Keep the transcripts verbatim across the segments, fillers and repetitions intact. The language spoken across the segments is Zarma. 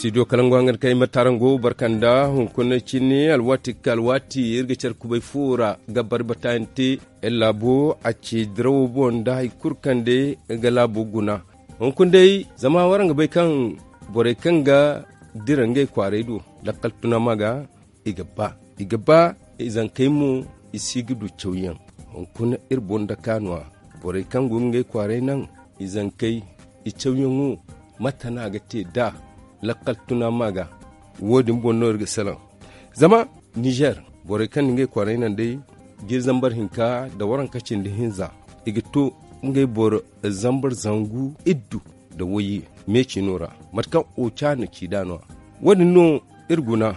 Studio kalangu hangan kaŋ ay ma tarango barkanda hunkuna cine alwaati ga ka alwaati iri ga care kubay fo ra ga bari bataayaŋ te. Iri laabo a ce dirawo boŋ nda hari kulu kaŋ day ga laabo guna. Hunkuna day zama waraŋ ga bay kaŋ borey kaŋ ga dira ngey kwaaray do lakkal tuna ma ga i ga ba i ga ba izankey mo i si ga du cawyaŋ. Hunkuna iri boŋ daka no- ya borey kaŋ go ga ngey kwaaray naŋ izankey i cawyaŋo mate no a ga te da lakkal tuna ma ga. Wo- din boŋ no iri ga salaŋ zama ninzeer borey kaŋ na ngey kwaaray naŋ day jiiri zambar hinka nda waranka cindi hinza i ga to ngey boro zambar zangu iddu nda wayye me ciino ra mate kaŋ oca na ci nd'a no- ya wo- din no iri guna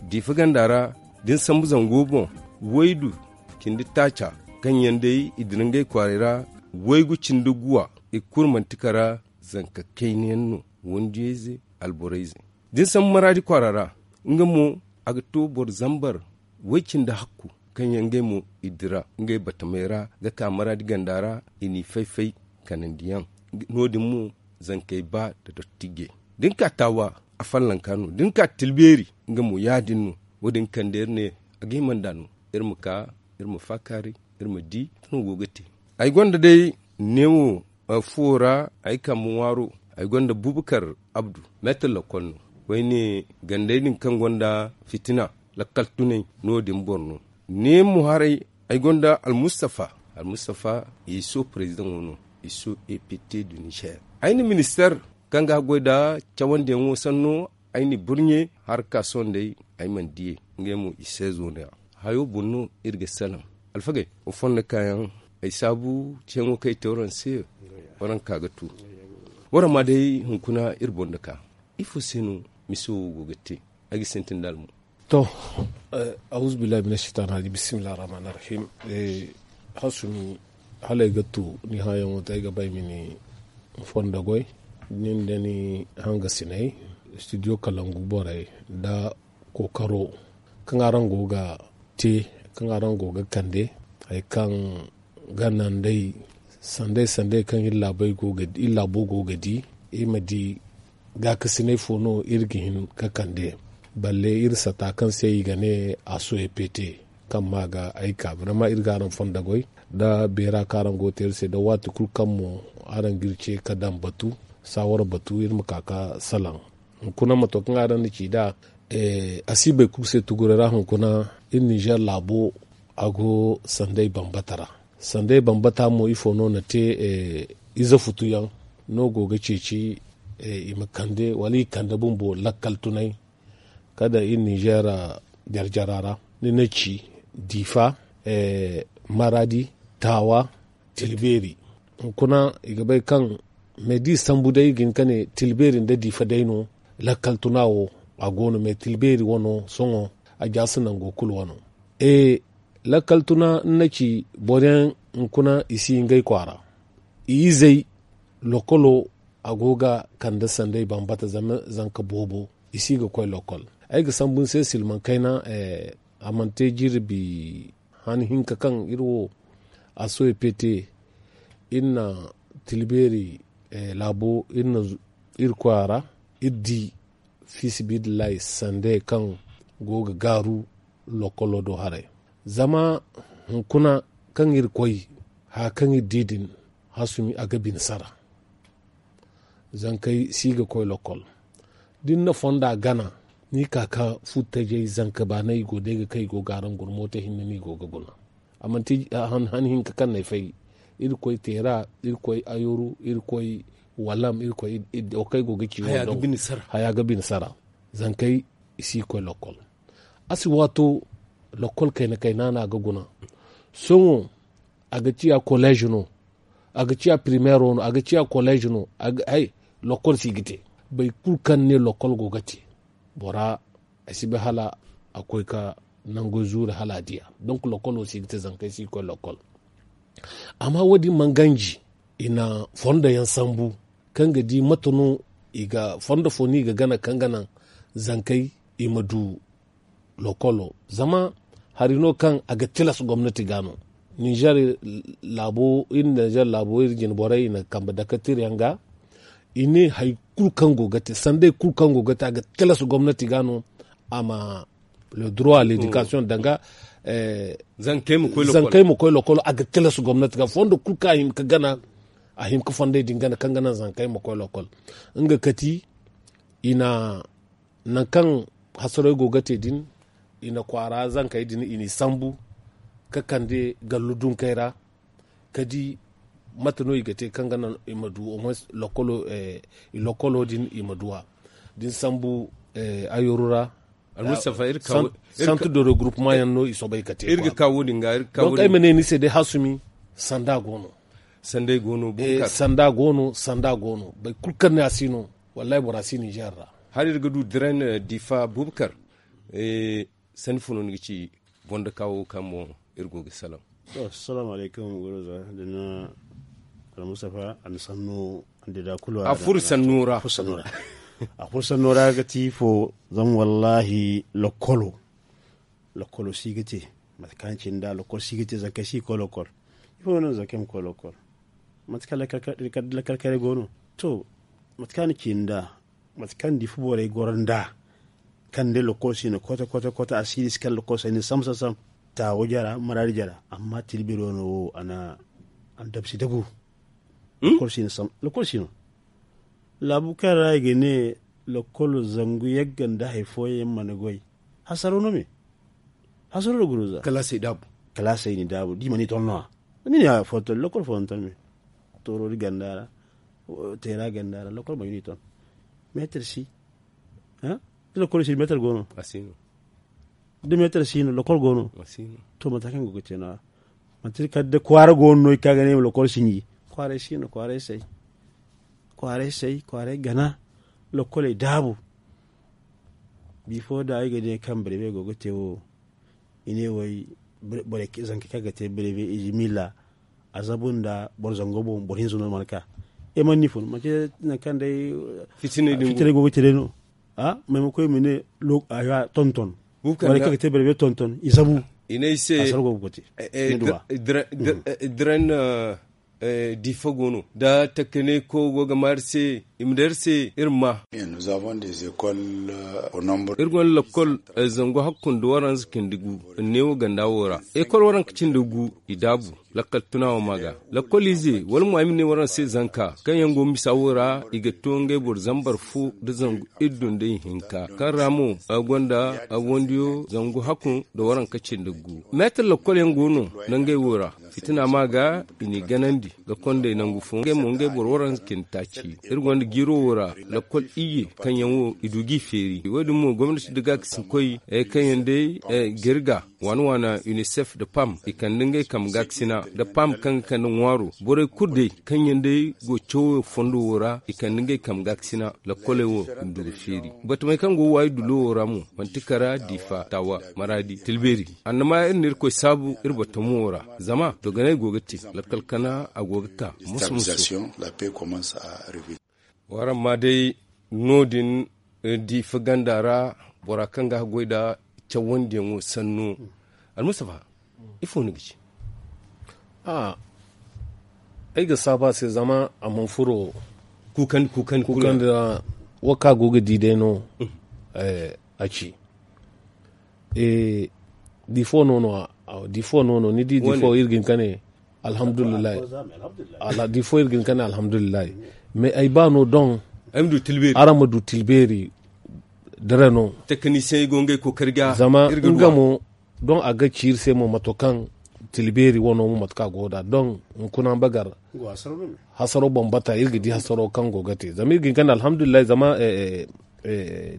diifa ganda ra da ni sambu zango boŋ waydu cindi taaca kaŋ yaŋ day i dira ngey kwaaray ra waygu cindi guwa i kulu manti kara zanka kayna yaŋ no wandiyayze alborayze da ni sambu maraadi kwaara ra nga mo a ga to boro zambar way cindi hakku kaŋ yaŋ ngey mo i dira ngey batamey ra ga ka maraadi ganda ra i n'i fay-fay kanandiyaŋ no- din mo zankey ba nda dottijey da ni ka taawa a fallanka no da ni ka tilbeeri nga mo ya- din no wo- din kande iri ne a ga hima nd'a no iri ma ka iri ma faakaaray iri ma di kaŋ go ga te ay gonda day neewo fuwo ra ay kambe ŋwaaro ay gonda bubakar abdu meetar lakkol no koyne gandey din kaŋ gonda fitina lakkal tunay no- din boro no ne mo haray ay gonda almustafa almustafa iso prezidaŋo no iso ept du nizer ay na minister kaŋ ga goy nda cawandiyaŋo sanno ay na i burɲe harka sohõ day ay mana diyey ngey mo i se zo no- ya hayo boŋ no iri ga salaŋ alfagey wa fondo kaayaŋ ay saabu ceeŋo kaŋ ay te waraŋ se waraŋ ka ga tu waraŋ ma day hunkuna iri boŋ nda ka ifo se no miso wo go ga te ay ga sintin nda almo to awuzubillahi mina shaytan rajim bisimillahi rahmani rahim hasumi hala ay ga tu ni hãyaŋo te ay ga ba ay ma ni fondo goy nin da ni hangasiney studio kalangu borey nda kookaro kaŋ araŋ go ga te kaŋ araŋ go ga kande hari kaŋ ga naŋ day sanday sanday kaŋ iri laabo go ga di iri ma di gaakasiney fo no iri ga hin ga kande balle iri sata kaŋ se i ga ne a soye pete kaŋ ma ga ay ka birama iri ga araŋ fondo goy nda beera kaŋ araŋ go ga te iri se nda waati kulu kaŋ mo araŋ ga iri ce ga daŋ batu saawara batu iri ma ka ga salaŋ hunkuna mato kaŋ araŋ na ci nd'a a si bay kulu se tuguray ra hunkuna iri ninzeer laabo a go sanday bambata ra sanday bambata mo ifo no na te ize futuyaŋ no go ga ceeci i ma kande wala i kande bumbo lakkal tunay kala iri ninzeer jarjara ra ni na ci diifa maraadi taawa tilbeeri hunkuna i ga bay kaŋ me da i sambu day i ga hin ka ne tilbeeri nda diifa day no lakkal tuna wo a go no me tilbeeri wano sohõ a jaasi nango kulu wano lakkal tuna ni na ci boro yaŋ hunkuna i si ngey kwaara i izey lokolo a go ga kande sanday bambata zama zanka boobo i si ga koy lokol ay ga sambu ni se silmaŋ kayna a mana te jirbi han hinka kaŋ iri wo a soy pete iri na tilbeeri laabo iri na iri koy a ra iri di fiisibidillahi sande kaŋ go ga gaaru lokolo do haray zama hunkuna kaŋ iri koy haya kaŋ iri di din hasumi a ga bine sara zankey si ga koy lokol da ni na fonda gana ni ka ka fu tajay zanka baanay i go day ga kay i go ga araŋ guna mooto hinne no i go ga guna a manti han hinka kaŋ no ay fay irkoy teera irkoy ayoru irkoy walam irkoy wo kaŋ ay go ga ci wo daw haya ga bine sara zankey i si ga koy lokol a si waato lokol kayna kayna no a ga guna sohõ a ga ciya kolleez no a ga ciya primeero no a ga ciya kolleez no lokol si ga te boro kulu kaŋ ne lokol go ga te bora a si bay hala a koy ka nangu zuuri hala a diya donk lokolo si ga te zankey si ga koy lokol amma wo- din mana ganji i na fondo yaŋ sambu kaŋ ga di mate no i ga fondo fo no i ga gana kaŋ ga naŋ zankey i ma du lokolo zama hari no kaŋ a ga tilas gomnati ga no ninzeer laabo iri ninzeer laabo iri jine borey i na kambe dakatir yaŋ ga i ne hari kulu kaŋ go ga te sanday kulu kaŋ go ga te a ga tilas gomnati ga no a ma le droit à l'éducation danga zankey ma koy lokolo a ga tilas gomnati ga fondo kulu kaŋ a hin ga gana a hin ga fonday din gana kaŋ ga naŋ zankey ma koy lokol nga kati i na nangu kaŋ hasaray go ga te din i na kwaara zankey din i n'i sambu ga kande gallu dunkey ra ka di mate no i ga te kaŋ ga naŋ i ma du lokolo din i ma du a da ni sambu ayooru ra santu de regroupement yaŋ no i soobay ka te donc ay ma ne ni se day hasumi sanda go no sanda go no sanda go no boro kulu kaŋ ne a si no wallaahi bora si ninzeer ra hala iri ga du dirain diifa bubakar sanni fo no ni ga ci boŋ da kaawo kaŋ boŋ iri go ga salaŋ to salaamu alaykum guruza da ni almustafa a na sannu a na dida kulu a furo sannu ra a furo sannu ra ga ti fo zama wallaahi lokkolo lokkolo si ga te mate kaŋ cine da lokkolo si ga te zankey si ga koy lokkol ifo no no zankey ma koy lokkol mate kaŋ lakkal karay go no to mate kaŋ a na cine da mate kaŋ diifa borey goro nd'a kaŋ day lokol si no kote kote kote a si no i si kala lokol si no i na sambu sambu sambu taawo jara maraadi jara amma tilbiri wane wo a na dabsi dagu lokol si no laabu kaŋ ra i ga ne lokol zangu yagga nda hari fooyaŋ mana goy hasaro no me hasaro no guruza kalaasey daabu kalaasey ni daabu da i mana i ton no-ya ni ne a foton lokol foton me toorori ganda ra teera ganda ra lokol mana i ton meetar si da lokol si meetar go no da meetar si no lokol go no to mate kaŋ go ga te no-ya manti kala da kwaara go no no i ka ga ne i ma lokol sinji kwaaray si no kwaaray say kwaaray say kwaaray gana lokoley daabu bifo da ay ga ne kaŋ birebe go ga te wo i ne way borey zanka kaŋ ga te birebe i ji milla a zabu nda boro zango boŋ boro hinza no mana ka i mana ni fun manti nangu kaŋ day fitinay go ga te day no a maymako i ma ne tonton borey kaŋ ga te birebe tonton i zabu i ne ay se asar go ga te dirain diifa go no da takanay ko go ga ma iri se i ma day iri se iri ma iri gonda lakkol zangu hakku nda waranza cindi gu neewo ganda wo ra ekol waranka cindi gu i daabu lakkal tuna wo ma ga lakkol ize wala mo ay ma ne waranza se zanka kaŋ yaŋ go misa wo ra i ga to ngey boro zambar fo nda zangu iddu nda ihinka kaŋ ra mo a gonda a wandiyo zangu hakku nda waranka cindi gu meetar lakkol yaŋ go no nda ngey wo ra fitina ma ga i n'i ganandi ga kondey nangu fo ngey mo ngey boro waranza cindi taaci iri gonda jiiro wo ra lakkol iyye kaŋ yaŋ wo i du g'i feeri wo- din mo gomnati nda gaakasinkoy kaŋ yaŋ day ga iri ga waana waana unicef nda pam i kande ngey kambe gaakasina nda pam kaŋ ga kande ŋwaaro borey kulu day kaŋ yaŋ day go cawo fondo wo ra i kande ngey kambe gaakasina lakkoley wo i ma du ga feeri batamey kaŋ go waayi dulo wo ra mo manti kara diifa taawa maraadi tilbeeri annama iri na irkoy saabu iri batamo wo ra zama dogonay go ga te lakkal kana a go ga ka musu musu waraŋ ma day no- din diifa ganda ra bora kaŋ ga a goy nda cawandiyaŋo sanno almustafa ifo ni ga ci ay ga saabu a se zama a mana furo kuukandi kuukandi kuukandi ra wo kaŋ a go ga di day no a ci diifo no no diifo no no ni di diifo iri ga hin ka ne alhamdulillahi diifo iri ga hin ka ne alhamdulillahi mais ay ba no don araŋ ma du tilbeeri dare no zama nga mo don a ga ci iri se mo mato kaŋ tilbeeri wano mo mate kaŋ a go da don hunkuna bagar hasaro bambata iri ga di hasaro kaŋ go ga te zama iri ga hin ka ne alhamdulillahi zama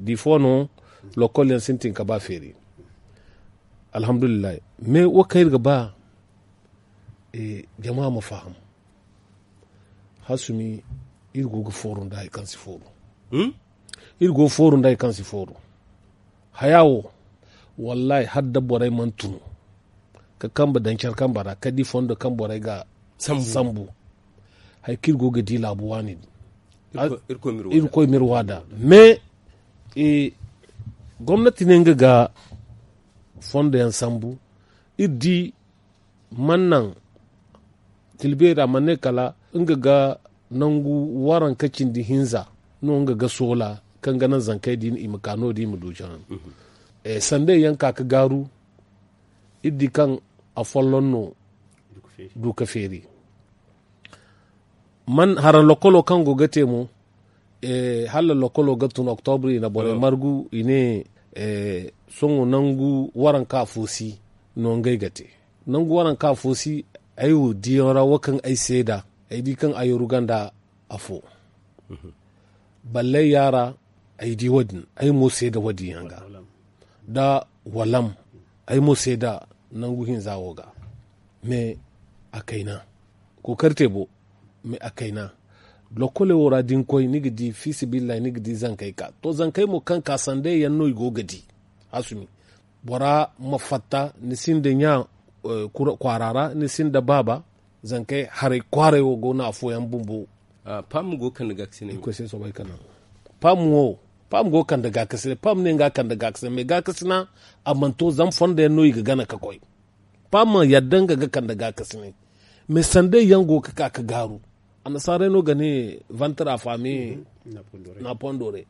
diifo no lokol yaŋ sintin ka ba feeri alhamdulillahi mais wo kaŋ iri ga ba jama ma faham hasumi iri go ga fooru nda hari kaŋ si fooru iri go ga fooru nda hari kaŋ si fooru haya wo wallahi hala da borey mana tun ka kambe daŋ care kambe ra kala da i fondo kaŋ borey ga sambu hari kaŋ iri go ga di laabu waani din irkoy ma iri wa nd'a mais gomnati ne nga ga fondo yaŋ sambu iri di mana naŋ tilbeeri a mana ne kala nga ga nangu waranka cindi hinza no nga ga soola kaŋ ga naŋ zankey din i ma ka no-din i ma du jana. Sandey yaŋ ka ga gaaru iri di kaŋ afolloŋ no du ga feeri. Haraŋ lokolo kaŋ go ga te mo, hala lokolo ga tun oktobri i na borey margu i ne sohõ nangu waranka fo si no ngey ga te. Nangu waranka fo si ay wo diyaŋ ra wo kaŋ ay seeda ay di kaŋ ayooru ganda afo. Balley yaara ay di wo- din ay mo seeda wo- din yaŋ ga nda walam ay mo seeda nangu hinza wo ga. Me a kayna kookari te bo. Me a kayna lokole wo ra da ni koy ni ga di fiisabilillahi ni ga di zankey ka to zankey mo kaŋ ka sandey yaŋ no i go ga di. Hasumi bora ma fatta ni sinda ɲa kwaara ra ni sinda baaba. Zankey haray kwaaray wo go no afooyaŋ bumbo. Pam go kande gaakasinay. Pam wo pam go kande gaakasinay pam ne nga kande gaakasinay mais gaakasina a mana to zama fondo yaŋ no i ga gana ga koy. Pam ma yadda nga ga kande gaakasinay mais sandey yaŋ go ga ka ga gaaru. Annasaarey no ga ne vantre affame na pondore.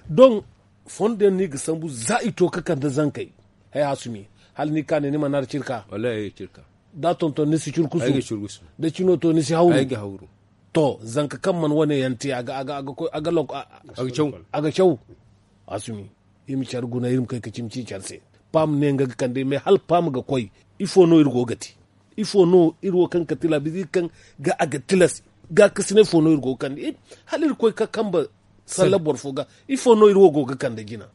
Don fondo yaŋ no i ga sambu za i to ga kande zankey. Hay hasumi hala ni ga ka ne ni mana ra cirka. Da tonton ni si curkusu da cino to ni si hawru. To zanka kaŋ mana wane yaŋ te a ga caw. A ga caw. Asumi iri ma care guna iri ma kay ga cimi ci care se. Pam ne nga ga kande mais hala pam ga koy ifo no iri go ga te? Ifo no iri wo kaŋ ga tilabi iri kaŋ ga a ga tilas gaakasinay fo no iri go ga kande hala iri koy ga kambe salla boro fo ga? Ifo no iri wo go ga kande jina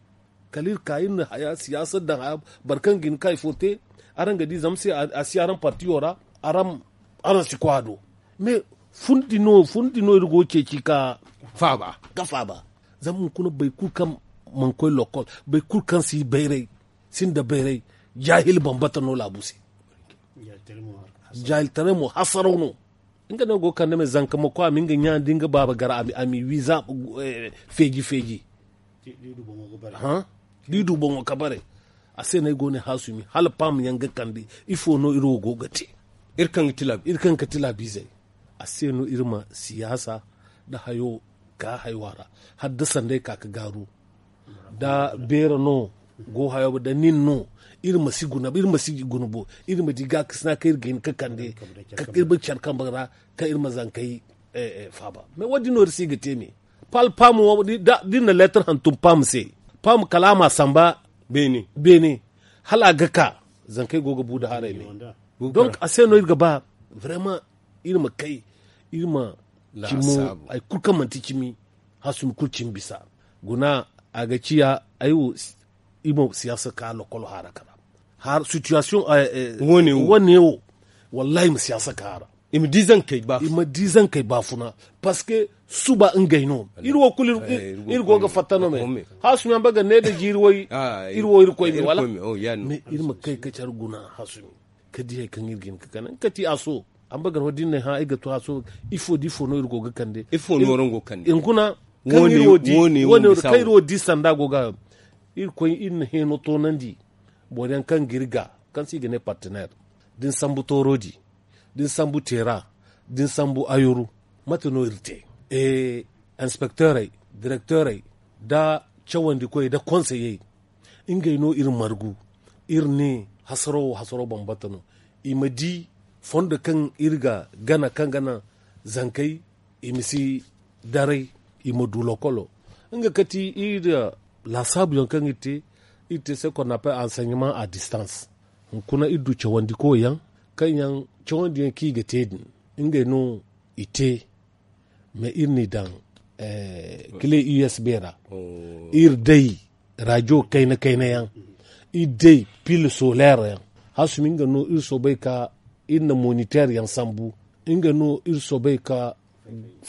kala iri ka iri na haya siyaasa daŋ haya boro kaŋ ga hin ka ifo te. Araŋ ga di zama se a si araŋ partiyo ra araŋ si koy a do. Mais fundi no fundi no iri go ga ceeci ka faaba. Zama hunkuna boro kulu kaŋ mana koy lokol boro kulu kaŋ si bayray sinda bayray jaahil bambata no laabu se. Jaahiltaray mo hasaraw no. Nga no go ga kande me zanka ma koy a ma nga ɲa nda nga baaba gar a ma i wiiza feeji feeji. Da i du boŋo ga bare. A se no ay go ne haasumi hala paama yaŋ ga kande ifo no iri wo go ga te? Iri kaŋ ga tilaabizey a se no iri ma siyaasa nda hayo ka haywa ra hala da sanday ka ga gaaru. Da beera no go hayo da nin no iri ma si guna bo iri ma di gaakasina kaŋ iri ga hin ga kande iri ma care kambe ra kaŋ iri ma zankey faaba. Mais wo- din no iri si ga te me. Pal pam wo da iri na leetar hantum pam se pam kala a ma a samba beene hala a ga ka zankey go ga bu nda haray me. Donc a se no iri ga ba vraiment iri ma kay iri ma cimo hari kulu kaŋ manti cimi hasumi kulu cimi bisa guna a ga ciya ay wo iri ma siyaasa ka lokolo haara kara har situation wane wo wallahi ma siyaasa ka haara. I ma di zankey baafuna parce que suba ngey no iri wo kulu iri go ga fatta no me. Hasumi yaŋ ba ga ne da jiiri way iri wo iri koy me wala mais iri ma kay ka care guna hasumi ka di hari kaŋ iri ga hin ga kande nga ka ti a so. Amma ga no da iri ne hã ay ga to a so ifo da ifo no iri go ga kande ifo no iri go ga kande hunkuna kaŋ iri wo di sanda go ga iri koy iri na heeno toonandi boro yaŋ kaŋ ga iri ga kaŋ se i ga ne partenaire da ni sambu toorodi da ni sambu teera da ni sambu ayuru mate no iri te? Inspekteerey direkteerey nda cawandikoy nda konseyey ngey no iri margu iri ne hasaro wo hasaro bambata no. I ma di fondo kaŋ iri ga gana kaŋ ga naŋ zankey i ma si daray i ma du lokolo nga kati iri laasaabuyaŋ kaŋ iri te iri te se konnape enseignement à distance. Hunkuna iri du cawandikoyaŋ kaŋ yaŋ cawandiyaŋ kaŋ i ga te din ngey no i te mais iri n'i daŋ kile usb ra iri day rajo kayna kayna yaŋ iri day pil soler yaŋ hasumi nga no iri soobay ka iri na moniteer yaŋ sambu nga no iri soobay ka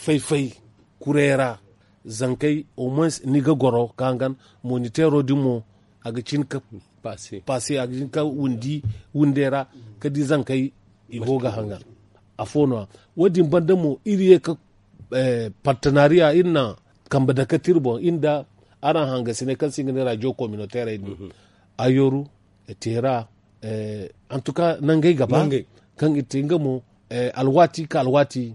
fay-fay kuray ra zankey au moins ni ga goro ka hangan moniteero din mo a ga cin ka paase a ga cin ka windi windey ra ka di zankey i go ga hangan. Afo no- ya wo- din banda mo iri ye ka partenariya iri na kambe dake te iri boŋ iri nda araŋ hangasiney kaŋ se i ga ne radio communautairey din ayooru teera en tout cas nangey ga ba kaŋ iri te nga mo alwaati ka alwaati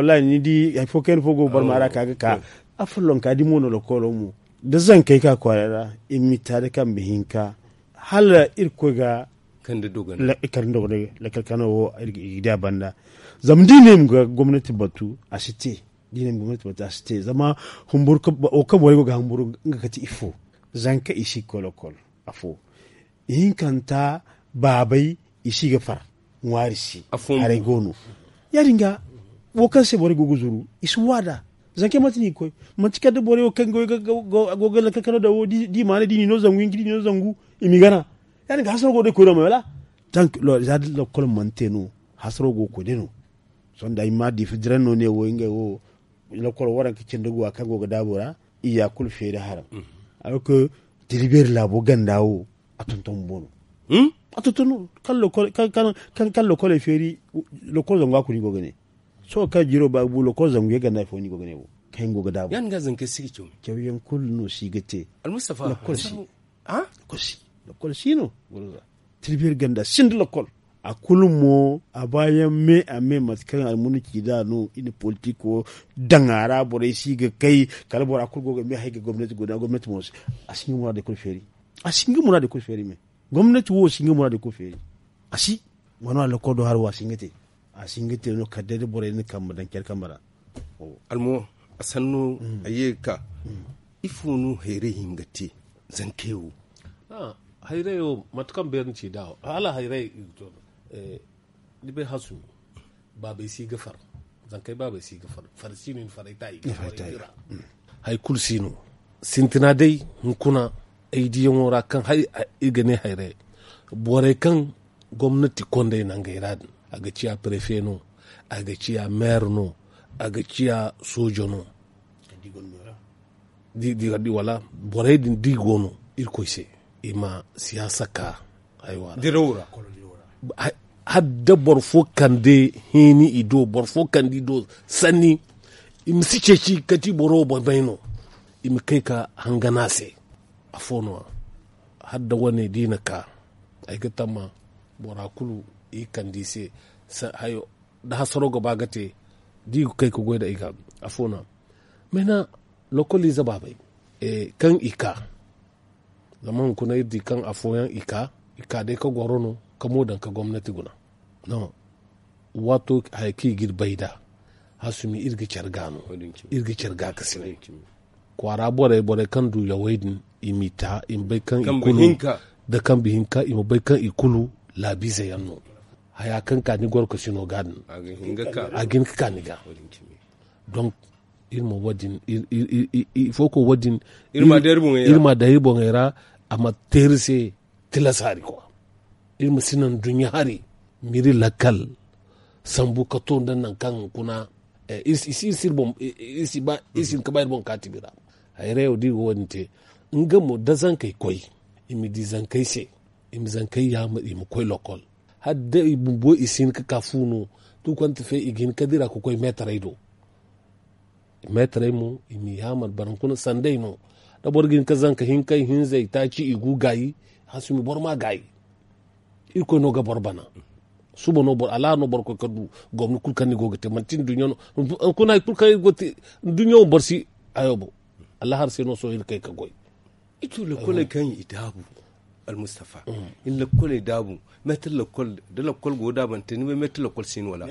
wallahi ni di hari fo kayna fo go ga barma ra ka ga ka. Afollonka di mo no lokolo mo da zankey ka kwaara ra, i ma i taada kambe hinka hala irkoy ga kande dogonay lakkal kano wo i ga di a banda. Zama da i ne i ma ga gomnati batu a si te. Da i ne i ma ga gomnati batu a si te zama humburu wo kaŋ borey go ga humburu nga kate ifo. Zanka i si ga koy lokol afo ihinkanta baabay i si ga far ŋwaari se. Haray go no ya- din ga wo kaŋ se borey go ga zuru i si waada. Zankey manti no i ga koy manti kala da borey wo kaŋ go ga lakkal kano daŋ wo da i maanay da i na i no zangu hinka da i na i no zangu i m'i gana. Ya- din ga hasaro go day koy no ma wala za da lakkal mana te no hasaro go ga koy day no. Sohõ da ay ma diifa diraŋ no ne wo ngey wo lakkol waranka cindi guwa kaŋ go ga daabu ra. Iyya kulu feeri haram. Alors que tilibeeri laabo ganda wo a tonton bumbo no. A tonton no kaŋ lokkoley feeri. Lokkol zangu a kulu i go ga ne sohõ kaŋ jiro ba ga bu lokkol zangu yaŋ ganda fo no i go ga ne wo kaŋ yaŋ go ga daabu. Cawyaŋ kulu no si ga te. Lokkol si. Lokkol si no. Goro za tilibeeri ganda sinda lakkol. A kulu mo a baayaŋ me a me mate kaŋ almuna ci nd'a no i na politiko daŋ a ra borey si ga kay. Kala bora kulu go ga me hay ga gomnati guna gomnati mo a si nga muraadey kulu feeri. A si nga muraadey kulu feeri me gomnati wo si nga muraadey kulu feeri. A si wano a lakkol do hari wo a si nga te. A si nga te no kala day da borey na kambe daŋ care kambe ra. Almo a sanno a ye ga ka ifo no hayray hin ga te? Zankey wo hayray wo mate kaŋ beeri ni ci nd'a wo hala hayray. Ni bay hasumi baabey si ga far. Zankey baabey si ga far far si no i na faray ta i ga faray tira. Hari kulu si no sintina day hunkuna ay diyaŋo ra kaŋ i ga ne hayray borey kaŋ gomnati kondey nangey ra din a ga ciya prefe no a ga ciya meer no a ga ciya soojo no. Wala borey din da i go no irkoy se i ma siyaasa ka haywa ra. Hala da boro fo kande hini i do boro fo kande i do sanni i ma si ceeci kati boro wo bambay no. I ma kay ka hangana se. Afo no hala da wane da i na ka ay ga tamma bora kulu i kande i se. Hayo da hasaro ga ba ga te da i ga kay ga goy da i ga. Afo no mena lokoliize baabay kaŋ i ka zama hunkuna iri di kaŋ afooyaŋ i ka i ka day ka goro no ka mo daŋ ka gomnati guna. Waato haya kaŋ i ga iri bay nd'a hasumi iri ga care ga no. Iri ga care ga ka sine kwaara borey borey kaŋ du yawey din i m'i ta i ma bay kaŋ i kulu da kambe hinka i ma bay kaŋ i kulu laabiize yaŋ no. haya kaŋ ka ni gorkasino ga din a ga hin ga ka ni ga. Donc iri ma wo- din ifo ko wo- din iri ma daŋ iri boŋey ra. A ma teeri se tilas hari kwa. Iri ma si naŋ duɲɲa hari ma iri lakkal sambu ka to nda nangu kaŋ hunkuna iri si iri si ba iri si hin ka ba iri boŋ kaatibi ra. Hayray wo da iri go wo- din te nga mo da zankey koy i ma di zankey se i ma zankey yaamar i ma koy lokkol. Hala day i bumbo i si hin ka ka fu no tukonte fe i ga hin ka dira ka koy meetarey do. Meetarey mo i ma yaamar boro hunkuna sanday no. Da boro ga hin ka zanka hinkey hinzey taaci i gu gaayi. Hasumi boro ma gaayi. Irkoy no ga boro bana. Suba no boro alaha no boro koy ka du gomni kulu kaŋ ni go ga te manti ni duɲɲa no. Hunkuna hari kulu kaŋ iri go te duɲɲa wo boro si hayo bo. Alaha hari se no sohõ iri kay ka goy. Ito lakoley kaŋ i daabu almustafa. Iri lakoley daabu meetar lakol da lakol go daabante ni bay meetar lakol si ni wala?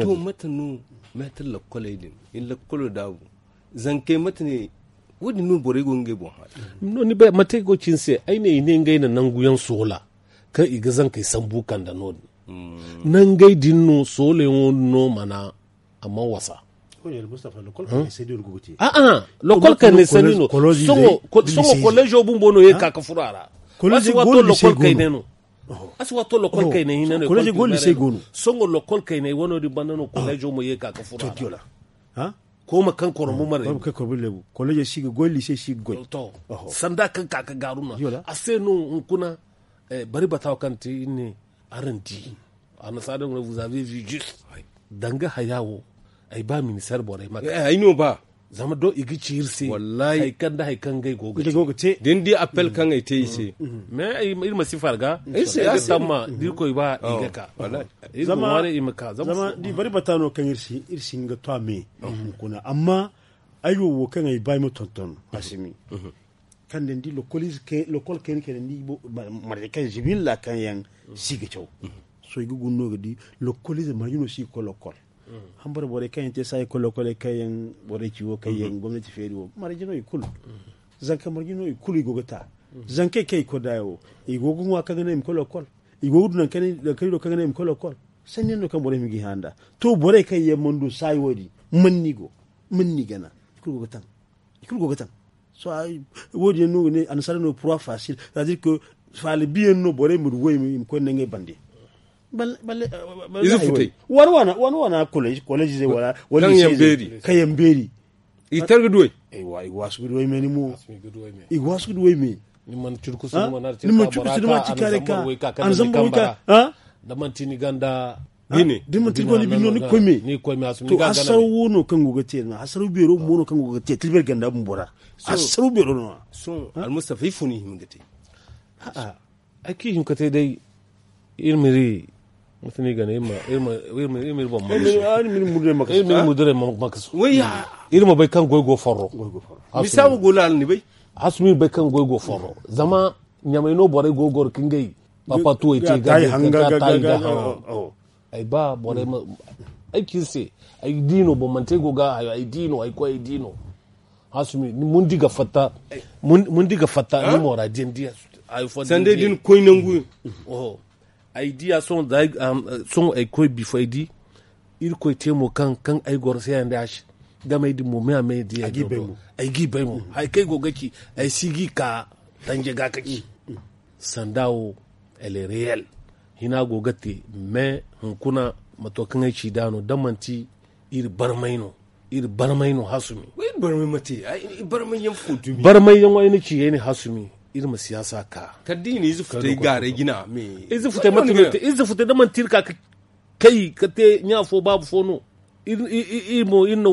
To mate no meetar lakoley din iri lakoley daabu zankey mate ne? Wo- din no borey go ngey boŋ haala. No ni bay mate go cine se ay ne i ne ngey na nangu yaŋ soola kaŋ i ga zankey sambu kande no- din. Nangey din no soolayaŋo no mana a man wasa. A'a lokol kaynay sanni no. Sohõ kolleezo bumbo no ye ka ka furo a ra. A si waato lokol kaynay no. A si waato lokol kaynay hinne no. Sohõ lokol kaynay wano din banda no kolleezo mo ye ka ka furo a ra. Kooma kaŋ koromo mara. Kolleezo si ga goy liise si ga goy. Sanda kaŋ ka ka gaaru no a se no hunkuna. Bari bata wo kaŋ te iri ne araŋ di. Annasaara no vous avez vu juste danga haya wo. Ay ba ministère borey ma ay no ba. Zama do i ga ci iri se wallahi hay kaŋ da hay kaŋ gay go ga te da ni di appel kaŋ ay te i se. Mais iri ma si farga iri ga tamma da irkoy ba i ga ka. Iri ga ŋwaare i ma ka zama di bari bata no kaŋ iri si hin ga to a me. Kuna amma ay wo wo kaŋ ay ba ay ma tonton asimi. Kaŋ da ni di lokol kayna kayna ni di marje kaŋ zibilla kaŋ yaŋ si ga caw. Sohõ i ga guna no ga di lokolize marje no si ga koy lokol. Hambara borey kaŋ yaŋ te saayi koy lokoley kaŋ yaŋ borey ci wo kaŋ yaŋ gomnati feeri wo marje no i kulu. Zanka marje no i kulu i go ga ta. Zankey kaŋ i koy daayo wo i go ga ŋwa kaŋ ga naŋ i ma koy lokol. I go ga du nangu kaŋ i do kaŋ ga naŋ i ma koy lokol. Sanni yaŋ no kaŋ borey ma ga i hã nd'a. To borey kaŋ yaŋ mana du saayi wo- din man ni go? Man ni gana? I kulu go ga taŋ. I kulu go ga taŋ. Sohõ wo- din yaŋ no ga ne annasaara no pura fasil c'est à dire que faala biyaŋ no borey ma du wo i ma koy nda ngey bande. Ize futey waana waana waana waana kolleezo wala wala kaŋ yaŋ beeri. I tar ga du way. I ga waasu ga du way me ni mo. I ga waasu ga du way me. Ni mana curkusu ni mana ci kaare ka a na zambar way ka da manti ni ganda. Bine da manti ni ganda bine no ni koy me. To hasaro wo no kaŋ go ga te no hasaro beero mo no kaŋ go ga te tilbir ganda bumbo ra. Hasaro beero no. Sohõ almustafa ifo ni hima ga te? A'a. Ay kaŋ i hin ka te day. Iri ma iri mate no i ga ne iri ma iri boŋ makasu. Iri ma iri muduray makasu. Iri ma bay kaŋ goy go forro. Misawo go laala ni bay. Hasumi bay kaŋ goy go forro zama ɲamay no borey go goro ka ngey papatuwey te ga. Tayi ga haŋ. Ay ba borey ma ay kaŋ iri se ay di no boŋ manti ay go ga hayo ay di no ay koy ay di no. Hasumi mundi ga fatta mundi ga fatta ni moora din diya. Sanda din koy nangu. Ay diya sohõ ay koy bifo ay di. Irkoy te mo kaŋ kaŋ ay goro se yaŋ da a se game ay din mo me a me diya ay g'i bay mo. Hay kaŋ ay go ga ci ay si g'i ka tanje ga ka ci. Sanda wo elle est réelle. Hina go ga te mais hunkuna mato kaŋ ay ci da no da manti iri barmay no. Iri barmay no hasumi. Barmay yaŋ ay na ci ay ne hasumi. Iri ma siyaasa ka kala da i na ize futay gaaray jina. Ize futay mate no te ize futay da manti iri ka kay ka te ɲa fo baabu fo no. Iri mo iri na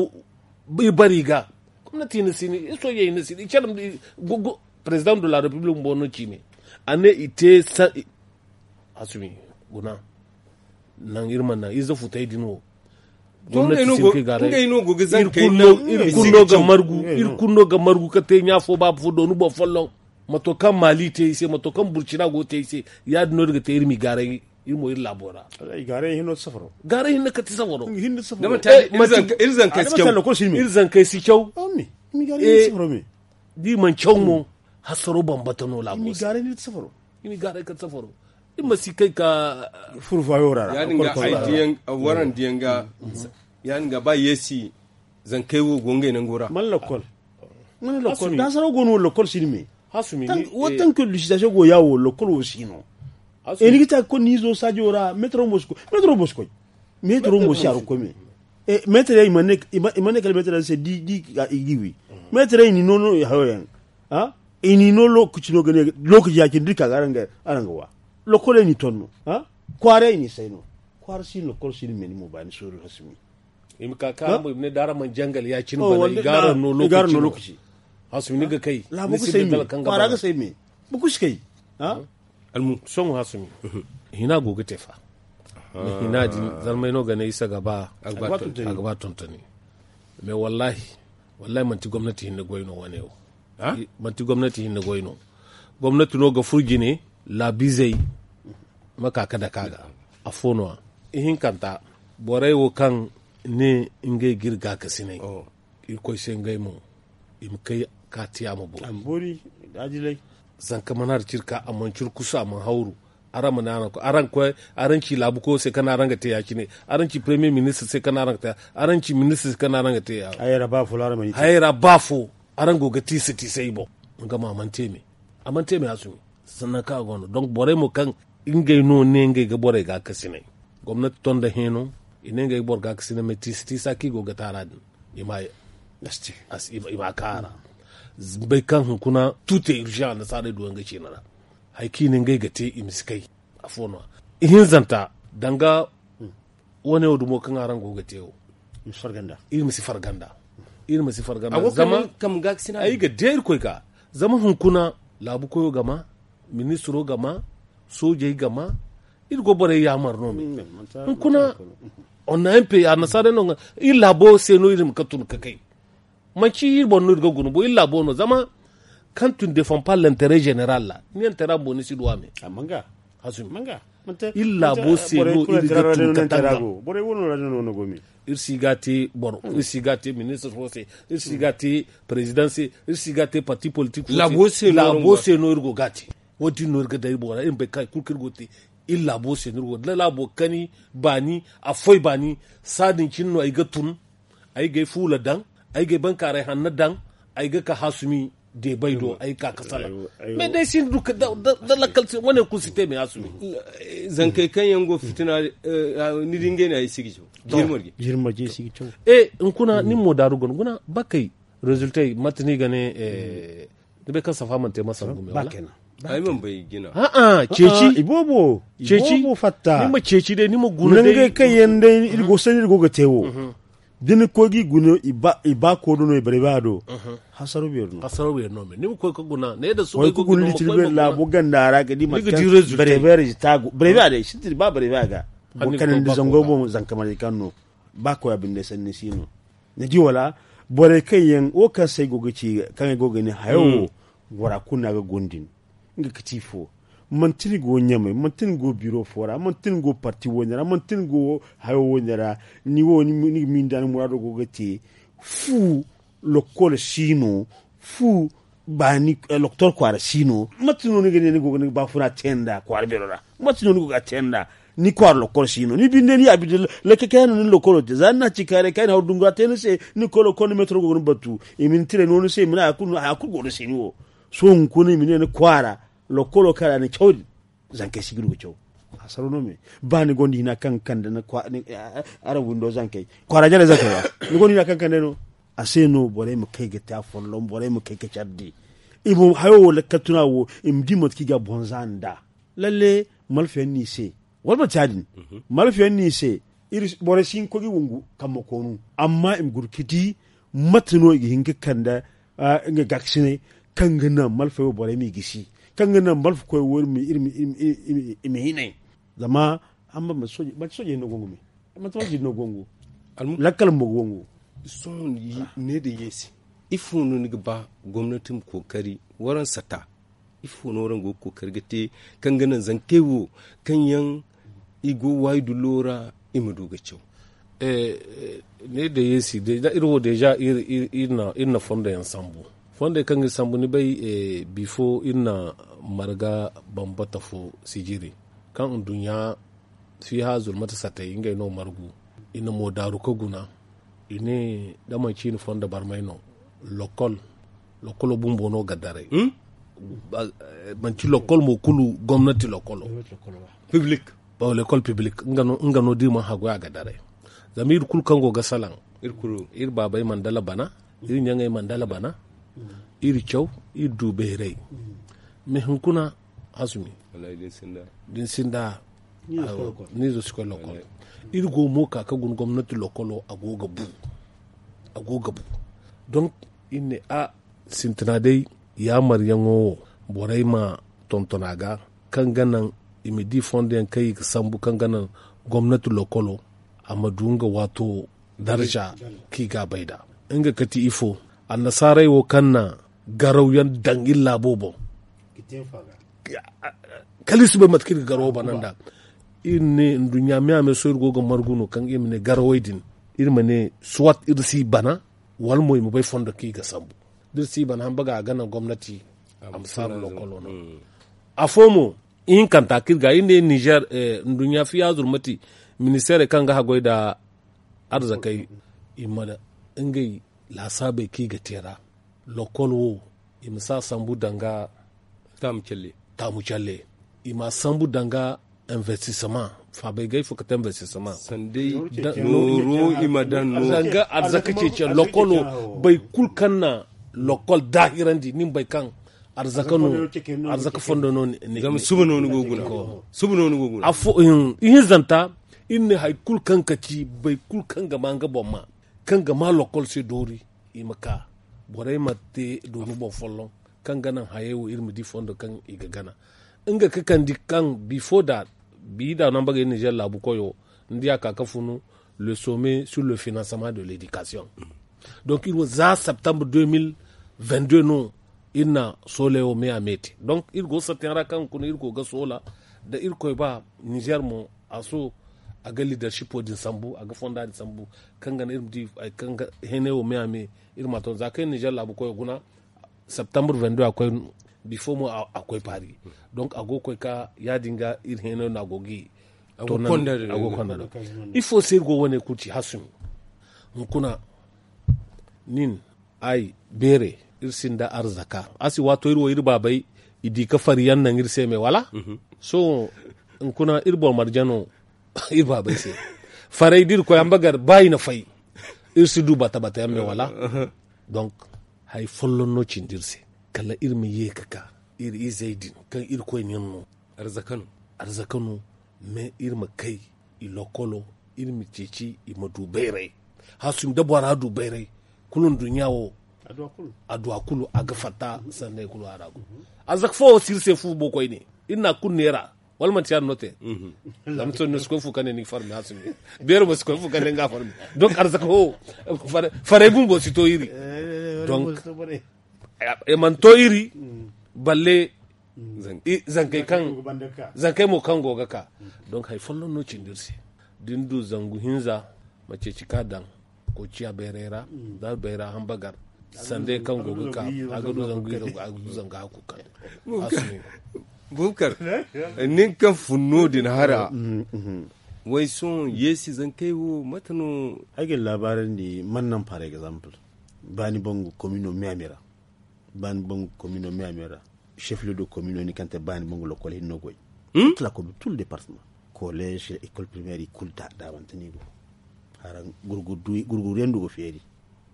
iri bari ga gomnati na sini iri soojey na sini iri care. Président de la république bumbo no ci ne a ne i te. Asumi guna naŋ iri mana naŋ ize futay din wo. Gomnati sinka i ga ray iri kulu no ga margu iri kulu no ga margu ka te ɲa fo baabu fo doonu boŋ folloŋ. Mato kaŋ mali te i se mato kaŋ burcina go te i se. Ya- din no iri ga te iri ma i gaaray iri mo iri laabo ra. Gaaray hinne ka ti safaro. Iri zankey si caw. Da i mana caw mo hasaro bambata no laabo se. I ma i gaaray ka ti safaro. Iri ma si kay ka furfayo ra ra. Yaadin ga ay diyaŋ, warandiyaŋ ga, yaadin ga ba yeesi zankey wo go ngey nango ra. Man lakkol man lakkol da saraw go no lakkol si ni me. Wo tanke lusitasyo go yaawo lakkol wo si no. E ni ga ta ga koy ni izo saajo ra metro mo si koy. Metro mo si a ra koy me. Meetarey i ma ne kala meetarey se di di i ga wi. Meetarey i ni no no hayo yaŋ. I ni no lookaci no ga ne lookaci ya cine da iri ka ga araŋ ga wa. Lokkoley ni ton no. Kwaaray ni say no. Kwaara si no lokol si ni me ni mo baani sooru hasumi. I ma ka kaara mo i ma ne da araŋ mana jangal ya cine bana i ga araŋ no lookaci. Hasumi ni ga kay. Kwaara ga say me. Buku si kay. Almu sohõ hasumi. Hina go ga te fa. Ni hina din zarmay no ga ne isa ga ba a ga ba tontoni. Mais wallahi wallahi manti gomnati hinne goy no wane wo. Manti gomnati hinne goy no. Gomnati no ga fur jine laabizey ma ka ka daka ga. Afo no a ihinkanta borey wo kaŋ ne ngey ga iri gaakasinay. Irkoy se ngey mo i ma kay ka te a ma boori. Zanka mana hari ciri ka a mana ciri kusu a mana hawru. Araŋ ma ne araŋ koy araŋ ci laabu koyo se kaŋ araŋ ga te ya- cine. Araŋ ci premier ministre se kaŋ araŋ ga te. Araŋ ci ministre se kaŋ araŋ ga te. Hayey ra ba fo araŋ go ga tiisa tiisa i boŋ. Nga mo a mana te me. A mana te me a sumi. Sannan kaŋ a go no donk borey mo kaŋ ngey no ne ngey ga borey gaakasinay. Gomnati ton nda heeno i ne ngey ga boro gaakasinay mais tiisa tiisa kaŋ i go ga te a ra din i ma a kaara. Bay kaŋ hunkuna tute urgent annasaarey du yaŋ ga ciina ra. Hari kaŋ i ne ngey ga te i ma si kay. Afo no a ihinzanta danga wane wo dumo kaŋ araŋ go ga te wo. Iri ma si farganda. Iri ma si farganda zama ay ga de irkoy ga zama hunkuna laabu koyo ga ma ministiro ga ma soojey ga ma. Iri go borey yaamar no me hunkuna. Onna mp annasaarey no iri laabo se no iri ma ka tun ka kay. Manci iri boŋ no iri ga guna bo iri laabo no zama kaŋ tun defan pa lenteret general ra ni yaŋ tera boŋ ni si duwa me. Iri laabo se no iri ga tun ka tanga. Iri si ga te boro iri si ga te ministre fo se iri si ga te president se iri si ga te parti politik fo se. Laabo se no iri go ga te. Wo- din no iri ga day bora iri ma bay kay kulu kaŋ iri go ga te. Iri laabo se no iri go ga day laabo kani baani a foy baani. Saadin cine no ay ga tun ay ga ay fuula daŋ ay ga ay bankaaray hanno daŋ. Ay ga ka hasumi deebay do ay ga ka ka salaŋ. Mais day sinda du da lakkal wane kulu si te me hasumi. Zankey kaŋ yaŋ go fitina ni di ngey no ay si ga caw. Jirmarje si ga caw. E hunkuna nin mo daaru guna guna bakey rezultey mate no i ga ne? Ni bay kaŋ safa mana te masal gume wala? Ay mana bay jina. A'a ceeci iboobo ceeci. Ni ma ceeci day ni ma guna day nangey kaŋ yaŋ day iri go sanni iri go ga te wo. Da ni koy ga i guna i ba koodo no i bare ba do. Hasaro beeri no hasaro beeri no me ni ma koy ga guna ne da su koy ga guna litiri beeri laabo ganda ra ga di mate kaŋ bare beeri taagu bare beeri day sitiri ba bare beeri ga. Boro kanandi zango boŋ zanka marje kaŋ no ba koy a binde sanni si no. Ni di wala borey kaŋ yaŋ wo kaŋ se ay go ga ci kaŋ ay go ga ne hayo wo. Bora kulu no a ga guna din nga ga ti ifo? Manti ni go ɲamay manti ni go biro fo ra manti ni go parti wo- ne ra manti ni go hayo wo- ne ra. Ni wo ni ga miinda ni muraado go ga te fu lokkol si no. Fu baani lokotor kwaara si no mate no ni ga ne ni go ga ni ga baafuna te nd'a kwaara beero ra? Mate no ni go ga a te nd'a ni kwaara lokol si no ni binde ni ya binde lakke kaŋ yaŋ no ni lokolo te za ni na ci kaaray kaŋ ay na haw dungu a te ni se ni koy lokol ni metro go ga ni batu i ma ni tiray no ni se i ma ne haya kulu go ni se ni wo. Sohõ hunkuna i ma ne ni kwaara lokolo kaŋ ra ni caw din zankey si ga du ga caw. Hasaro no me ba ni gonda hina kaŋ ga kande ni araŋ windo zankey kwaara jarey zankey ra ni gonda hina kaŋ ga kande no. A se no borey ma kay ga te afolloŋ borey ma kay ga care di. I ma hayo wo lakkal tuna wo i ma di mate kaŋ i ga a boŋ za nd'a. Lalle malfayaŋ no i se wala manti ya- din? Malfayaŋ no i se. Borey si hin ga koy ga i wongu kambe koonu amma i ma guna ga di mate no i ga hin ga kande nga gaakasinay kaŋ ga naŋ malfey wo borey m'i gisi kaŋ ga naŋ malfakoy wo iri ma hinay. Zama manti soojey no go nga me manti soojey no go nga lakkal bumbo go nga wo. Sohõ ne da yeesi ifo no ni ga ba gomnati ma kookari waraŋ sata? Ifo no waraŋ go ga kookari ga te kaŋ ga naŋ zankey wo kaŋ yaŋ i go waayi dullo ra i ma du ga caw? Ne da yeesi iri wo deeza iri na fondo yaŋ sambu fondey kaŋ ga iri sambu ni bay bifo iri na marga bambata fo sijiri. Kaŋ nduɲɲa fiiha zulmata satay ngey no margu. I na mo daaru ka guna. I ne da manci i na fondo barmay no. Lokol lokolo bumbo no ga daray. Manci lokol mo kulu gomnati lokolo. Piblik. Lekol piblik nga no da i mana hagu a ga daray. Zama iri kulu kaŋ go ga salaŋ iri baabey mana dala bana, iri ɲaŋey mana dala bana, iri caw, iri du bayray. Mais hunkuna, asumi da ni sinda, ni zo si koy lokol. Iri go mo ka ka guna gomnati lokolo a go ga bu. A go ga bu. Donc iri ne a sintina day, yaamaryaŋo wo borey ma tonton a ga, kaŋ ga naŋ i ma di fondo yaŋ kaŋ i ga sambu kaŋ ga naŋ gomnati lokolo a ma du nga waato darza kaŋ i ga a bay nd'a. Nga kati ifo, annasaarey wo kaŋ na garaw yaŋ daŋ iri laabo boŋ, kala iri si bay mate kaŋ iri ga garawo bana nd'a. Iri ne nduɲɲa me a me sohõ iri go ga margu no kaŋ iri ma ne garawey din, iri ma ne soit iri si bana, wala mo i ma bay fondo kaŋ i ga sambu. Da iri si bana hamba ga a ga naŋ gomnati a ma saaru lokolo no. Afo mo ihinkanta kaŋ iri ga iri ne nizer, nduɲɲa fiya zurmati, ministeerey kaŋ ga haggoy nda arzakey, i ma ngey laasaabey kaŋ i ga te ra. Lokol wo, i ma si a sambu danga taamu calle. I ma a sambu danga investissement. Faabay ga ay fo kate investissement. Nooro i ma daŋ no. Danga arzaka ceeciyaŋ lokolo. Boro kulu kaŋ na lokol daahirandi ni ma bay kaŋ arzaka no. Arzaka fondo no ni. Zama suba no ni go guna. Suba no ni go guna. Ihinzanta, iri ne hari kulu kaŋ ka ci boro kulu kaŋ ga ma nga boŋ ma, kaŋ ga ma lokol se doori, i ma ka borey ma te dooni boŋ folloŋ, kaŋ ga naŋ hayey wo iri ma di fondo kaŋ i ga gana. Nga ka kandi kaŋ bifo da bi da no a bagay nizer laabu koyo, ni di a ka ka funu le sommet sur le financement de l'éducation. Donc iri wo za septembre deux mille vingt-deux no iri na sooley wo me a me te. Donc iri go ga sartiyaŋ ra kaŋ kuna iri go ga soola, da iri koy ba nizer mo a so, a ga leadershipo din sambu, a ga fonda din sambu, kaŋ ga naŋ iri ma di hari kaŋ ga heenay wo me a me. Iri ma a ton za kaŋ nizer laabu koyo guna septembre vingt-deux a koy, bifo mo a koy paari. Donc a go ga koy ka ya- din ga iri heenay no a go ga i. A go ga konda da ifo se iri go wane kulu ci hasumi. Hunkuna nin, ay beere, iri sinda arzaka a si waato iri wo iri baabey, i di ka fari yaŋ naŋ iri se me wala? Sohõ hunkuna iri boro marjano iri baabey se, farey da iri koy ambagar ba i na fay, iri si du bata bata yaŋ me wala? Donc hari folloŋ no cindi iri se, kala iri ma ye ka ka iri izey din kaŋ iri koy nin no. Arzaka no. Mais iri ma kay i lokolo, iri ma ceeci i ma du bayray. Hasumi da bora du bayray, kulu nduɲɲa wo a du a kulu a ga fatta sanney kulu a ra. Arzaka fo wo si iri se fu bo koyne, iri na a kulu neera. Wala manti ya- din no te? Zama sohõ ni si koy fu kaŋ ne ni ga farmi hasumi, beero mo si koy fu kaŋ ne nga farmi. Donc arzaka fo farey bumbo si to iri. Donc i mana to iri balle zankey mo kaŋ go ga ka. Donc hari folloŋ no cindi iri se. Da ni du zangu hinza, ma ceeci ka daŋ koociya bayray ra, da bayra hambagar sanda kaŋ go ga ka, a ga du zangu hinza, a ga du zangu hakku kaŋ. Bubakar, nin kaŋ fun no- din hara, way sohõ yeesi zankey wo mate no? Ay ga ni laabaarandi man naŋ par exemple, baani bangu komino miami ra. Baani bangu komino miami ra, chef lieu de komino ni kaŋ te baani bangu lokol hinno goy. Tla komi tout le département, collège, école primaire i kulu da daabante no i go. Haraŋ gurguru yaŋ du ga feeri.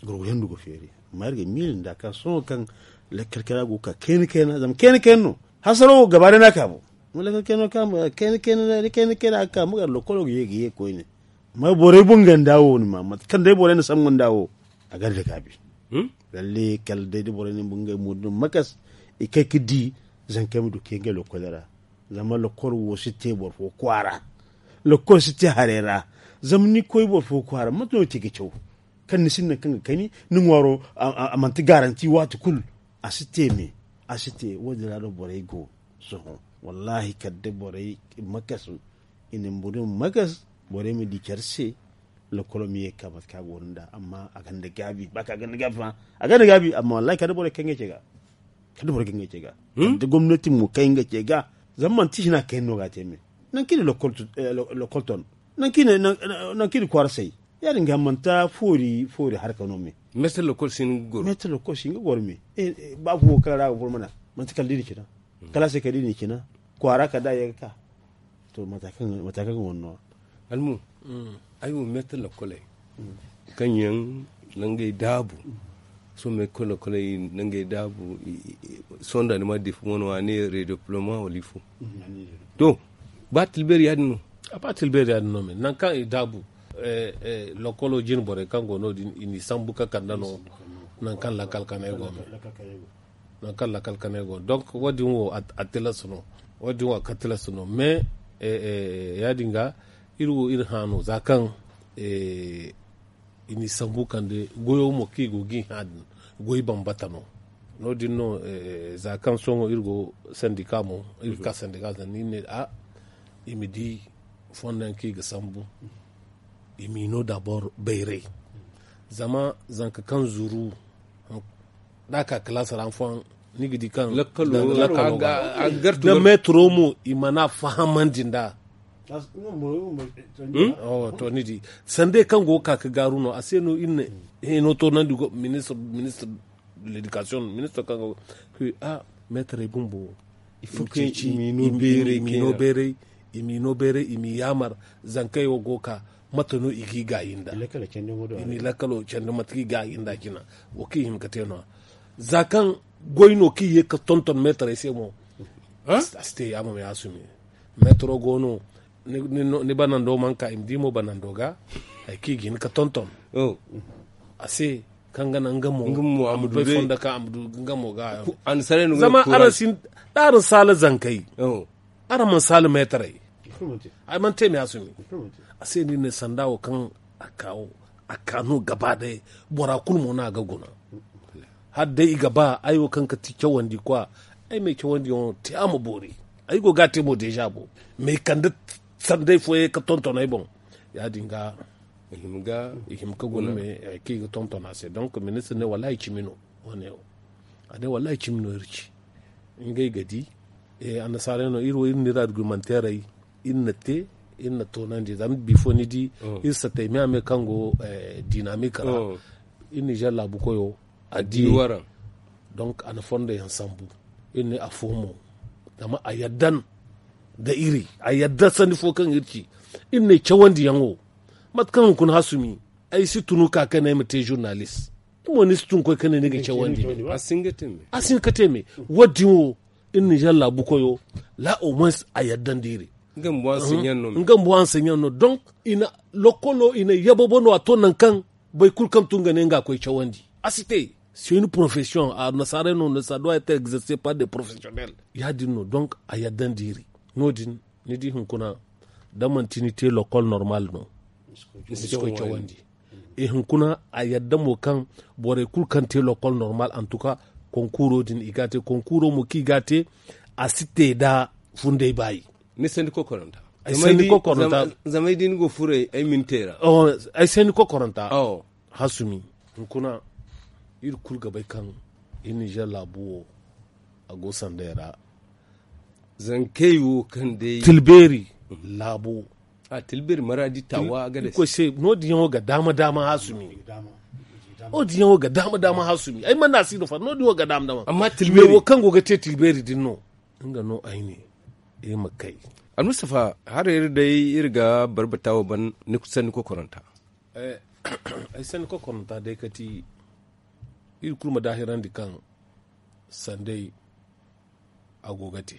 Gurguru yaŋ du ga feeri. Amma iri ga miila nda kaŋ sohõ kaŋ lakkal kayna go ga ka kayna kayna zama kayna kayna no. Hasaro wo gaba day no a ka bo. Lakkal kayna no kaŋ kayna kayna a ga ka ma gar lokolo ga ye ga ye koyne. Amma borey bunganda wo ni ma mate kaŋ day borey na sambu nda wo, a ganda gaabi. Lalle kala day da borey na ngey mo din makas, i kay ga di zankey ma du ka ye ngey lokol ra. Zama lokol wo si te boro fo kwaara. Lokol si te haray ra. Zama ni koy boro fo kwaara mate no ni te ga caw? Kaŋ ni sinda kaŋ ga kani ni ŋwaaro, a manti garanti waati kulu. A si te me. A si te wo- din ra no borey go. Sohõ wallahi kala day borey makas, i na mburin magas, borey ma di care se. Lokolo ma ye ka mate kaŋ a go no nd'a amma a gonda gaabi ba kaŋ a gonda gaabi fa. A gonda gaabi amma wallahi kala da borey kay ngey ce ga. Kala da borey kay ngey ce ga. Kala da gomnati mo kay ngey ce ga. Zama manti sina kay no ga a te me. Nangu kaŋ i na lokol ton nangu kaŋ i na kwaara say. Ya- din ga manti foori foori harka no me. Meetar lokol si hin ga goro me. Ba fo kaŋ ra ga boro mana manti kala da i na cina kala a se kala da i na cina kwaara kala da a ye ga ka. To mata kaŋ ga wane no ya. Almu, ay wo meetar lokoley kaŋ yaŋ nangey daabu. Sohõ meetar lokoley nangey daabu. Sohõ da ni ma di fo wano a ne redeploma wala ifo. To, ba tilbeeri ya- din no. A ba tilbeeri ya- din no me nangu kaŋ i daabu. Lokolo jine borey kaŋ go no- din i n'i sambu ka kande no. Nangu kaŋ lakkal kanay go me nangu kaŋ lakkal kanay go no donk wo- din wo a tilas no. Wo- din wo a ga tilas no mais ya- din ga iri wo iri hã no za kaŋ i n'i sambu kande goyo mo kaŋ i go ga i hã din goy bambata no. No- din no za kaŋ sohõ iri go sandika mo iri ga ka sandika zanda iri ne a i ma di fondo yaŋ kaŋ i ga sambu. I m'i no dabor bayray zama zanka kaŋ zuru da a ka kalaasa ra hanfooyaŋ ni ga di kaŋ lakkalo da meetaro mo i mana fahamandi nd'a. To ni di sanda kaŋ go ga ka ga gaaru no a se no iri na hino toonandi ministir ministir de ledikasiyoŋ ministir kaŋ ga a meetarey bumbo i ma ceeci i ma i no beeray i ma i no beeray i ma i yaamar zankey wo go ga ka mate no i g'i gaayi nda i m'i lakkalo candi mate kaŋ i gaayi nda cina wo kaŋ i hin ga te no- ya za kaŋ goy no kaŋ i ye ga tonton meetarey se mo a si te yaamo ma yaasumi meetaro go no ni banando mana ka i ma di mo banando ga hari kaŋ i ga hin ga tonton a se kaŋ ga naŋ nga mo a ma bay fondo kaŋ a ma du nga mo ga zama araŋ si da araŋ saala zankey araŋ mana saala meetarey ay mana te ma yaasumi a se no iri ne sanda wo kaŋ a ka no gaba day bora kulu mo no a ga guna hala day i ga ba ay wo kaŋ ga ti cawandi kwa ay ma ay cawandiyaŋo te a ma boori ay go ga a te mo deeza bo ma ay kande sanday fooyaŋ ka tonton ay boŋ ya- din ga i hima ka guna me kaŋ i ga tonton a se donk ministir ne wallahi cimi no wane wo a ne wallahi cimi no iri ci ngey ga di annasaarey no iri wo iri na iri argumanteerey iri na te iri na toonandi zama bifo ni di iri satey me a me kaŋ go dinamik ra iri nizer laabu koyo a di waraŋ donk a na fondo yaŋ sambu iri ne afo mo zama a yadda nda iri a yadda sanni fo kaŋ iri ci iri ne cawandiyaŋo mate kaŋ hunkuna hasumi ay si tunu ka kaŋ ay ma te zurnalis ni mo ni si tun koy kaŋ ne ni ga cawandi a si hin ga te me wo- din wo iri nizer laabu koyo la au moins a yadda nda iri nga mbo hanseɲaŋ no donk i na lokolo i na yababo no a to nangu kaŋ boro kulu kaŋ tun ga ne nga koy cawandi a si te c'est une profession a nasaarey no ne ça doit être exercé par des professionnels ya- din no donk a yadda nda iri no- din ni di hunkuna da manti ni te lokol normal no ni si koy cawandi i hunkuna a yadda mo kaŋ borey kulu kaŋ te lokol normal antuka konkuro din i ga a te konkuro mo kaŋ i ga a te a si te nda funday baayi ni sandi kokoranta ay sandi kokoranta zama ay di ni go furay ay mintey ra ay sandi kokoranta hasumi hunkuna iri kulu ga bay kaŋ iri nizer laabu wo a go sanday ra zankey wo kaŋ day tilbeeri laabo a tilbeeri maradi tawa ga day koy se no- din yaŋo ga daama daama hasumi no- din yaŋo ga daama daama hasumi ay mana a si no fa no- din wo ga daama daama amma tilbeeri wo kaŋ go ga te tilbeeri din no nga no ay ne iri ma kay almustafa har iri day iri ga barbata wo ban ni sanni kokoranta ay sanni kokoranta day kati iri kulu ma daahirandi kaŋ sanday a go ga te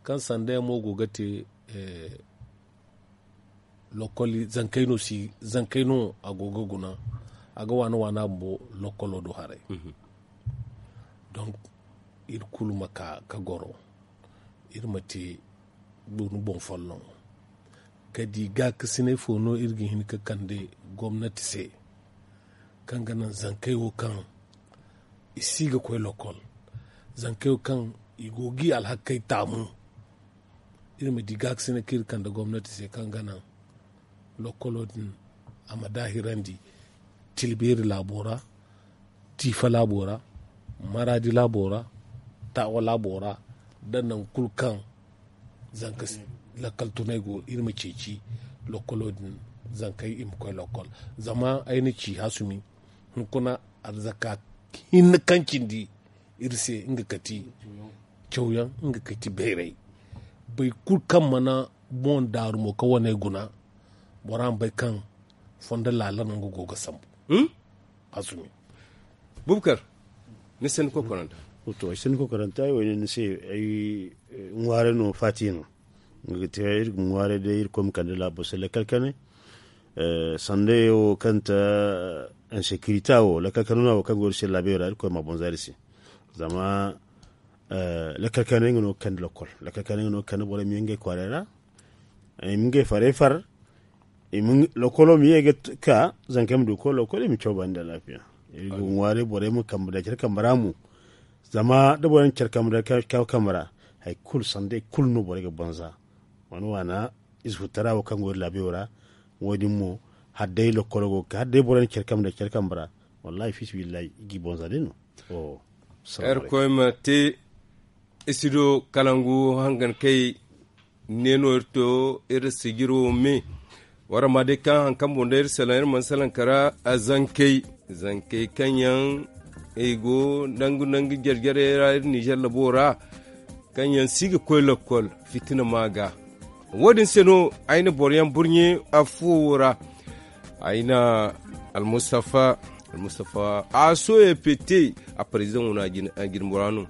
kaŋ sanday mo go ga te lokoli zankey no si zankey no a go ga guna a ga waana waana bumbo lokolo do haray donk iri kulu ma ka ka goro iri ma te guna boŋ folloŋ ka di gaakasinay fo no iri ga hin ka kande gomnati se kaŋ ga naŋ zankey wo kaŋ i si ga koy lokol zankey wo kaŋ i go ga i alhakey taamu iri ma di gaakasina kaŋ iri kande gomnati se kaŋ ga naŋ lokolo din a ma daahirandi tilbeeri laabo ra tiifa laabo ra maraadi laabo ra taawa laabo ra nda nangu kulu kaŋ zanka Lakkal tunay go iri ma ceeci lokolo din, zankey i ma koy lokol. Zama ay na ci hasumi, hunkuna arzaka hinne kaŋ cindi iri se nga kati cawyaŋ, nga kati bayray. Boro kulu kaŋ mana boŋ daaru mo ka wane guna, bora ma bay kaŋ fondo laala no nga go ga sambu. Hasumi. Bubakar, ni sanni kokoranta. To ay sanni kokoranta ay wo ni se ay ŋwaare no faati no. Nga ga te iri ga ŋwaare day iri koy ma kande laabo se lakkal kane. Sanda yaŋ wo kaŋ ta insekirita wo lakkal kane no wo kaŋ go iri se laabiyo ra iri koy ma boŋ za iri se. Zama lakkal kane nga no ga kande lokol, lakkal kane nga no ga kande borey ma ye ngey kwaaray ra. I ma ngey farey far. Lokolo ma ye ga ka zankey ma du ga koy lokol i ma caw baani nda alaafiya. Iri go ga ŋwaaray borey ma kambe da care kambe ra mo. Zama da borey na care kambe da care kambe ra, hari kulu sanday kulu no borey ga banza. Wane waana ize futara wo kaŋ go iri laabiyo ra. Wo- din mo, hala day lokolo go ga ka hala day borey na care kambe da care kambe ra, wallahi fiisabilillahi i g'i banza day no. Irkoy ma te. Isido kalangu hangan kay. Ne no iri to iri sijiro me. Wara ma day kaŋ hari kaŋ boŋ day iri salaŋ iri mana salaŋ kara. Zankey zankey kaŋ yaŋ i go nangu nangu jare jare ra iri nizer labo ra. Kaŋ yaŋ si ga koy lokol fitina ma ga. Wo- din se no ay na boro yaŋ burɲe afo wo ra. Ay na almustafa almustafa a soye pete. A parizaŋo no a jine bora no.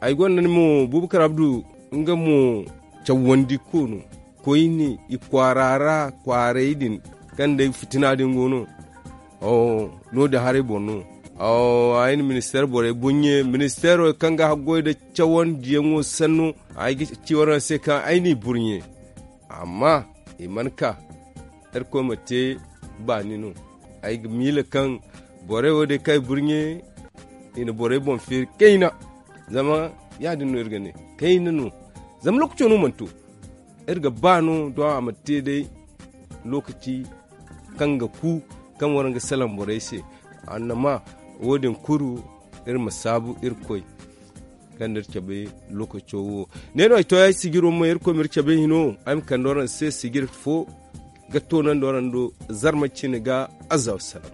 Ay gonda ni mo bubakar abdu nga mo cawandi ko no. Koyne i kwaara ra kwaaray din kaŋ day fitina din go no. No- din haray boŋ no. Ay na ministeer borey boŋ ye ministeero kaŋ ga haggoy nda cawandiyaŋo sanno. Ay ga ci waraŋ se kaŋ ay n'i burɲe. Amma i mana ka irkoy ma te baani no. Ay ga miila kaŋ borey wo- din kaŋ ay burɲe i na borey boŋ feeri kayna. Zama ya- din no iri ga ne kayna no. Zama lookaco no mana to. Iri ga ba no doŋ a ma te day lookaci kaŋ ga ku kaŋ waraŋ ga salaŋ borey se. Annama wo- din kulu iri ma saabu irkoy kaŋ da iri cabe lookaco wo. Ne no ay to ay sijiro mo irkoy ma iri cabe hino ay ma kande waraŋ se sijir fo ga toonandi waraŋ do. Zarma cine ga azza wassalam.